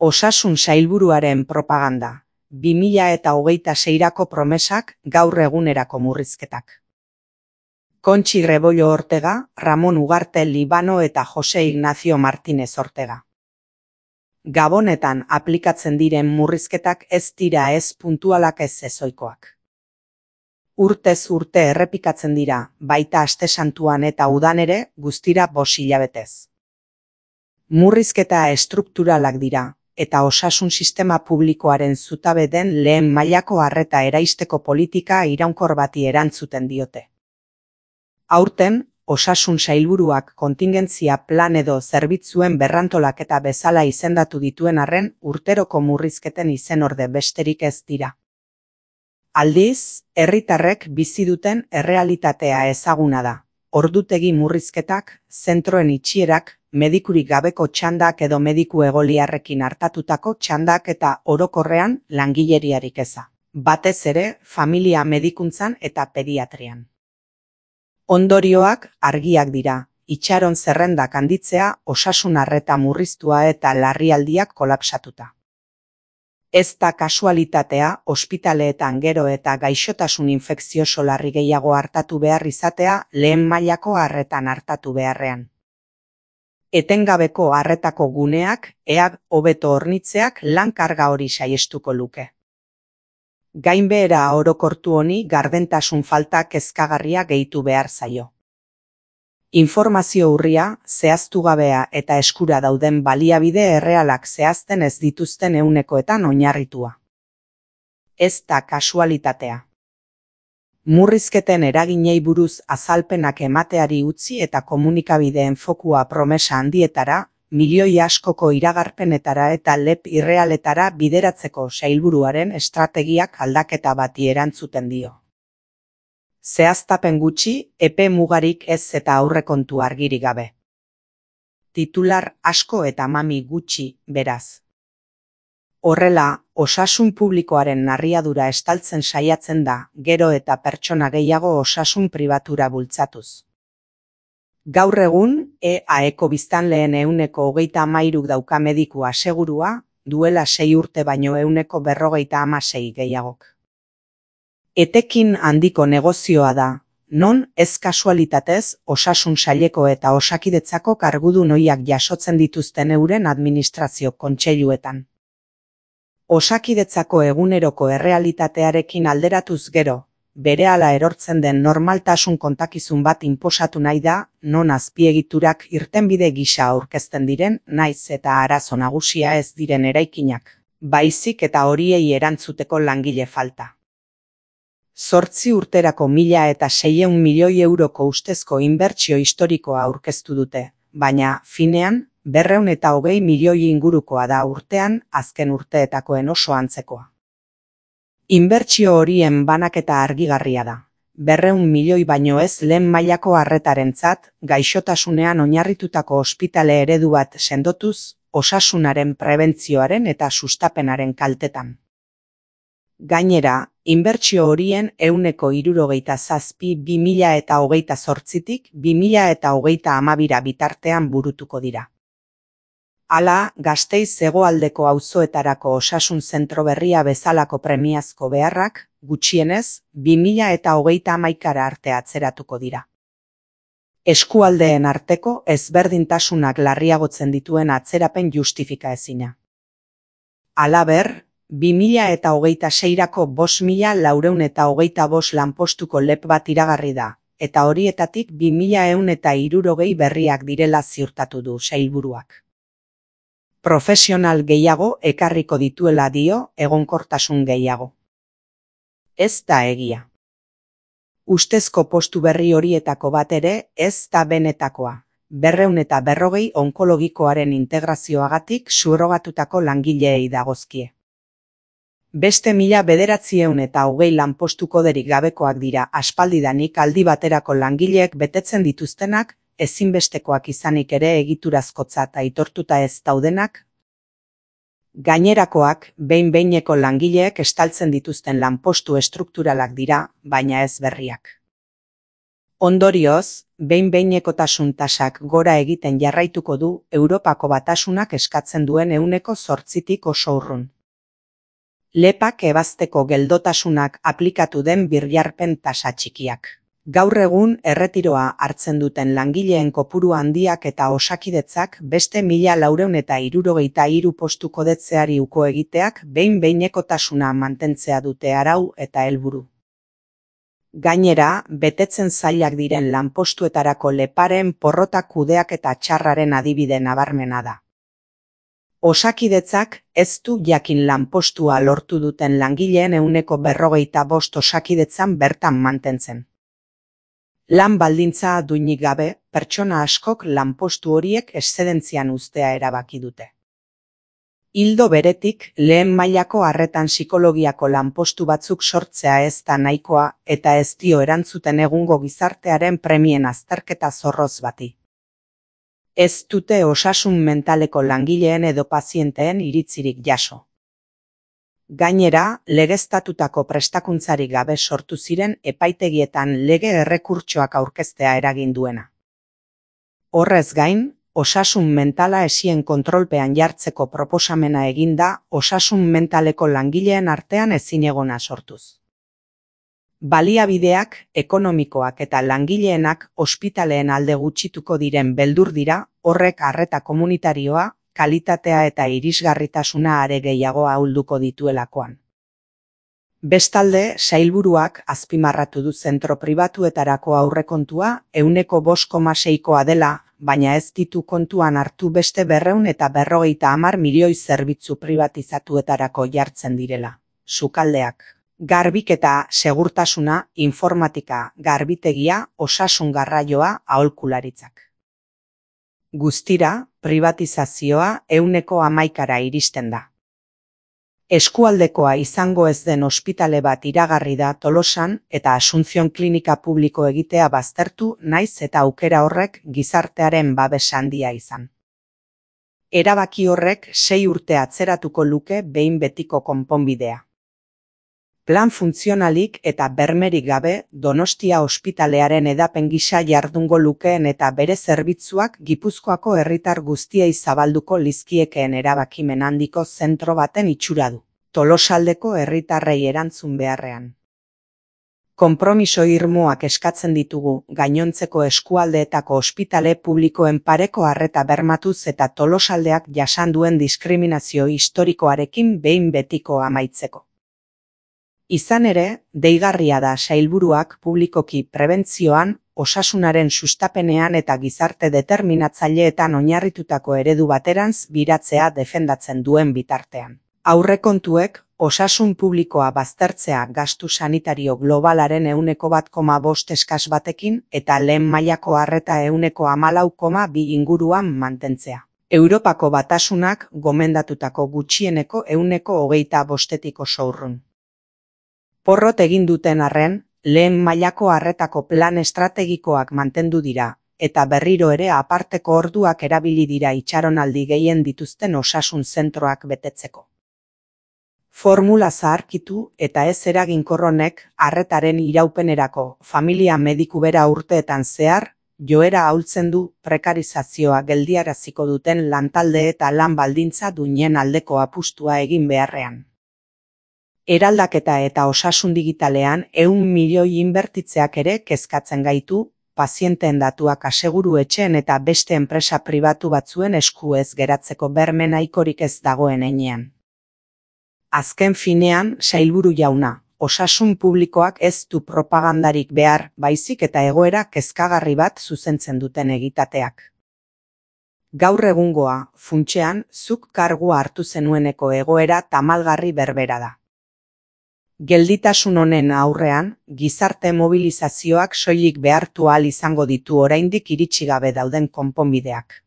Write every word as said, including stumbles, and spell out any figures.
Osasun sailburuaren propaganda, bi mila eta hogeita seirako promesak, gaur egunerako murrizketak. Kontxi Rebollo Ortega, Ramon Ugarte Libano eta Jose Ignacio Martínez Ortega. Gabonetan aplikatzen diren murrizketak ez dira ez puntualak ez ezoikoak. Urtez urte errepikatzen dira, baita aste santuan eta udan ere, guztira bost hilabetez. Murrizketa estrukturalak dira, eta osasun sistema publikoaren zutabe den lehen mailako arreta eraisteko politika iraunkor bati erantzuten diote. Aurten, osasun sailburuak kontingentzia plan edo zerbitzuen berrantolaketa bezala izendatu dituen arren urteroko murrizketen izenorde besterik ez dira. Aldiz, herritarrek bizi duten errealitatea ezaguna da. Ordutegi murrizketak, zentroen itxierak, medikurik gabeko txandak edo mediku egoliarrekin hartatutako txandak eta orokorrean langileriarik eza. Batez ere, familia medikuntzan eta pediatrian. Ondorioak argiak dira, itxaron zerrendak handitzea, osasun arreta murriztua eta larrialdiak kolapsatuta. Ez da kasualitatea, ospitaleetan gero eta gaixotasun infekzioso larri gehiago hartatu behar izatea lehen mailako arretan hartatu beharrean. Etengabeko arretako guneak, eag hobeto hornitzeak lan karga hori saiestuko luke. Gainbehera orokortu honi gardentasun falta kezkagarria gehitu behar zaio. Informazio urria, zehaztu gabea eta eskura dauden baliabide errealak zehazten ez dituzten ehunekoetan oinarritua. Ez da kasualitatea. Murrizketen eraginei buruz azalpenak emateari utzi eta komunikabideen fokua promesa handietara, milioi askoko iragarpenetara eta lep irrealetara bideratzeko sailburuaren estrategiak aldaketa bati erantzuten dio. Zehaztapen gutxi, epe mugarik ez eta aurrekontu argirik gabe. Titular asko eta mami gutxi, beraz. Horrela, osasun publikoaren narriadura estaltzen saiatzen da, gero eta pertsona gehiago osasun pribatura bultzatuz. Gaur egun, E A Eko biztanleen ehuneko hogeita hamairuk dauka mediku asegurua, duela sei urte baino ehuneko berrogeita hamasei gehiagok. Etekin handiko negozioa da, non ez kasualitatez osasun saileko eta osakidetzako kargudun ohiak jasotzen dituzten euren administrazio kontseiluetan. Osakidetzako eguneroko errealitatearekin alderatuz gero, berehala erortzen den normaltasun kontakizun bat inposatu nahi da, non azpiegiturak irtenbide gisa aurkezten diren, naiz eta arazo nagusia ez diren eraikinak, baizik eta horiei erantzuteko langile falta. Zortzi urterako mila eta seiehun milioi euroko ustezko inbertsio historikoa aurkeztu dute, baina, finean, berrehun eta hogei milioi ingurukoa da urtean, azken urteetakoen oso antzekoa. Inbertsio horien banaketa argigarria da. Berrehun milioi baino ez lehen mailako arretarentzat, gaixotasunean oinarritutako ospitale eredu bat sendotuz, osasunaren prebentzioaren eta sustapenaren kaltetan. Gainera, inbertsio horien ehuneko hirurogeita zazpi bi mila eta hogeita zortzitik bi mila eta hogeita hamabira bitartean burutuko dira. Hala, Gasteiz hegoaldeko auzoetarako osasun zentro berria bezalako premiazko beharrak, gutxienez, bi mila eta hogeita hamaikara arte atzeratuko dira. Eskualdeen arteko ezberdintasunak larriagotzen dituen atzerapen justifika ezina. Halaber, bi mila eta hogeita seirako bost mila laurehun eta hogeita bost lanpostuko lep bat iragarri da, eta horietatik bi mila ehun eta hirurogei berriak direla ziurtatu du sailburuak. Profesional gehiago ekarriko dituela dio, egonkortasun gehiago. Ez da egia. Ustezko postu berri horietako bat ere ez da benetakoa, berrehun eta berrogei onkologikoaren integrazioagatik subrogatutako langileei dagozkie. Beste mila bederatzieun eta hogei lanpostu koderik gabekoak dira aspaldidanik aldi baterako langileek betetzen dituztenak, ezinbestekoak izanik ere egiturazkotzat aitortuta ez daudenak. Gainerakoak, behin-behineko langileek estaltzen dituzten lanpostu estrukturalak dira, baina ez berriak. Ondorioz, behin-behinekotasun tasak gora egiten jarraituko du Europako Batasunak eskatzen duen ehuneko zortzitik oso urrun. Lepak ebazteko geldotasunak aplikatu den birjarpen tasa txikiak. Gaur egun erretiroa hartzen duten langileen kopuru handiak eta Osakidetzak beste mila laurehun eta hirurogeita hiru postu kodetzeari uko egiteak behin-behinekotasuna mantentzea dute arau eta helburu. Gainera, betetzen zailak diren lanpostuetarako leparen porrota kudeaketa txarraren adibide nabarmena da. Osakidetzak ez du jakin lanpostua lortu duten langileen ehuneko berrogeita bost Osakidetzan bertan mantentzen. Lan baldintza duinik gabe, pertsona askok lanpostu horiek eszedentzian uztea erabaki dute. Ildo beretik, lehen mailako arretan psikologiako lanpostu batzuk sortzea ez da nahikoa eta ez dio erantzuten egungo gizartearen premien azterketa zorroz bati. Ez dute osasun mentaleko langileen edo pazienteen iritzirik jaso. Gainera, legeztatutako prestakuntzarik gabe sortu ziren epaitegietan lege errekurtsoak aurkeztea eragin duena. Horrez gain, osasun mentala esien kontrolpean jartzeko proposamena eginda osasun mentaleko langileen artean ezinegona sortuz. Baliabideak, ekonomikoak eta langileenak ospitaleen alde gutxituko diren beldur dira, horrek arreta komunitarioa, kalitatea eta irisgarritasuna are gehiago ahulduko dituelakoan. Bestalde, sailburuak azpimarratu du zentro pribatuetarako aurrekontua ehuneko bost koma seikoa dela, baina ez ditu kontuan hartu beste berrehun eta berrogeita hamar milioi zerbitzu pribatizatuetarako jartzen direla. Sukaldeak, garbiketa, segurtasuna, informatika, garbitegia, osasun garraioa, aholkularitzak. Guztira, privatizazioa ehuneko hamaikara iristen da. Eskualdekoa izango ez den ospitale bat iragarri da Tolosan eta Asunción klinika publiko egitea baztertu naiz eta aukera horrek gizartearen babes handia izan. Erabaki horrek sei urte atzeratuko luke behin betiko konponbidea. Plan funtzionalik eta bermerik gabe Donostia ospitalearen edapen gisa jardungo lukeen eta bere zerbitzuak Gipuzkoako herritar guztiei zabalduko lizkiekeen erabakimen handiko zentro baten itxura du, Tolosaldeko herritarrei erantzun beharrean. Konpromiso irmoak eskatzen ditugu gainontzeko eskualdeetako ospitale publikoen pareko arreta bermatuz eta Tolosaldeak jasan duen diskriminazio historikoarekin behin betiko amaitzeko. Izan ere, deigarria da sailburuak publikoki prebentzioan, osasunaren sustapenean eta gizarte determinatzaileetan oinarritutako eredu baterantz biratzea defendatzen duen bitartean. Aurrekontuek, osasun publikoa baztertzea gastu sanitario globalaren ehuneko bat koma bost eskas batekin eta lehen mailako arreta ehuneko hamalau koma bi inguruan mantentzea. Europako Batasunak gomendatutako gutxieneko ehuneko hogeita bostetik oso urrun. Porrot egin duten arren, lehen mailako arretako plan estrategikoak mantendu dira, eta berriro ere aparteko orduak erabili dira itxaronaldi gehien dituzten osasun zentroak betetzeko. Formula zaharkitu eta ez eraginkorronek arretaren iraupenerako familia mediku bera urteetan zehar, joera ahultzen du prekarizazioa geldiaraziko duten lantalde eta lan baldintza duinen aldeko apustua egin beharrean. Eraldaketa eta osasun digitalean ehun milioi inbertitzeak ere kezkatzen gaitu, pazienteen datuak aseguru etxeen eta beste enpresa pribatu batzuen esku ez geratzeko berme nahikorik ez dagoen heinean. Azken finean, sailburu jauna, osasun publikoak ez du propagandarik behar, baizik eta egoera kezkagarri bat zuzentzen duten egitateak. Gaur egungoa, funtsean, zuk kargua hartu zenueneko egoera tamalgarri berbera da. Gelditasun honen aurrean, gizarte mobilizazioak soilik behartu ahal izango ditu oraindik iritsi gabe dauden konponbideak.